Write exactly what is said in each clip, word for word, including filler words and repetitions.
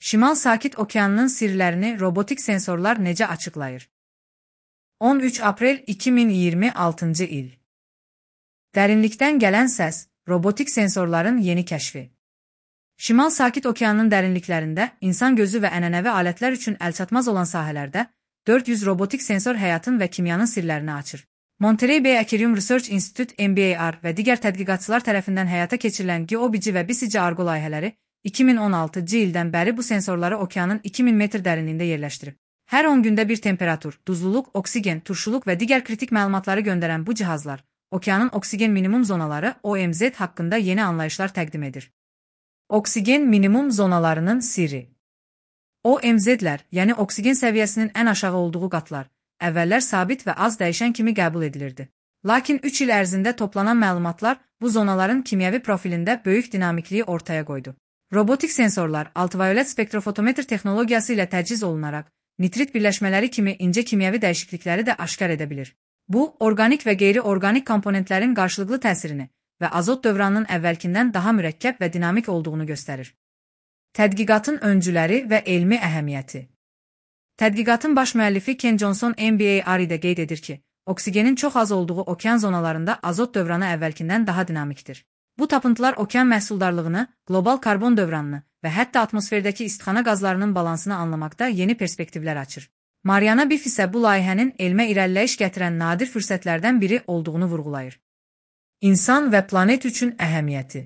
Şimal Sakit Okeanının sirlərini robotik sensorlar necə açıqlayır? on üç aprel iki min iyirmi altıncı il. Dərinlikdən gələn səs, robotik sensorların yeni kəşfi. Şimal Sakit Okeanının dərinliklərində insan gözü və ənənəvi alətlər üçün əlçatmaz olan sahələrdə dörd yüz robotik sensor həyatın və kimyanın sirlərini açır. Monterey Bay Aquarium Research Institute M B A R və digər tədqiqatçılar tərəfindən həyata keçirilən GeoBici və BICICi Argo layihələri iki min on altıncı ildən bəri bu sensorları okeanın iki min metr dərinliyində yerləşdirib. Hər on gündə bir temperatur, duzluluq, oksigen, turşuluq və digər kritik məlumatları göndərən bu cihazlar, okeanın oksigen minimum zonaları O M Z haqqında yeni anlayışlar təqdim edir. Oksigen minimum zonalarının sirri. O M Z'lər, yəni oksigen səviyyəsinin ən aşağı olduğu qatlar, əvvəllər sabit və az dəyişən kimi qəbul edilirdi. Lakin üç il ərzində toplanan məlumatlar bu zonaların kimyəvi profilində böyük dinamikliyi ortaya qoydu. Robotik sensorlar ultraviolet spektrofotometr texnologiyası ilə təchiz olunaraq, nitrit birləşmələri kimi incə kimyəvi dəyişiklikləri də aşkar edə bilir. Bu, orqanik və qeyri-orqanik komponentlərin qarşılıqlı təsirini və azot dövranının əvvəlkindən daha mürəkkəb və dinamik olduğunu göstərir. Tədqiqatın öncüləri və elmi əhəmiyyəti. Tədqiqatın baş müəllifi Ken Johnson M B A R-də qeyd edir ki, oksigenin çox az olduğu okean zonalarında azot dövranı əvvəlkindən daha dinamikdir. Bu tapıntılar okean məhsuldarlığını, qlobal karbon dövranını və hətta atmosferdəki istixana qazlarının balansını anlamaqda yeni perspektivlər açır. Mariana Biff isə bu layihənin elmə irəliləyiş gətirən nadir fürsətlərdən biri olduğunu vurğulayır. İnsan və planet üçün əhəmiyyəti.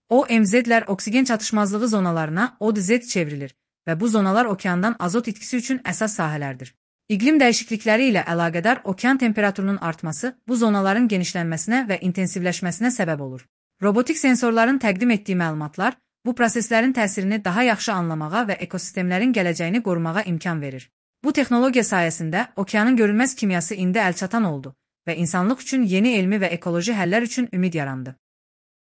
O M Z'lər oksigen çatışmazlığı zonalarına O D Z çevrilir və bu zonalar okeandan azot itkisi üçün əsas sahələrdir. İqlim dəyişiklikləri ilə əlaqədar okean temperaturunun artması bu zonaların genişlənməsinə və intensivləşməsinə səbəb olur. Robotik sensorların təqdim etdiyi məlumatlar bu proseslərin təsirini daha yaxşı anlamağa və ekosistemlərin gələcəyini qorumağa imkan verir. Bu texnologiya sayəsində okeanın görünməz kimyası indi əlçatan oldu və insanlıq üçün yeni elmi və ekoloji həllər üçün ümid yarandı.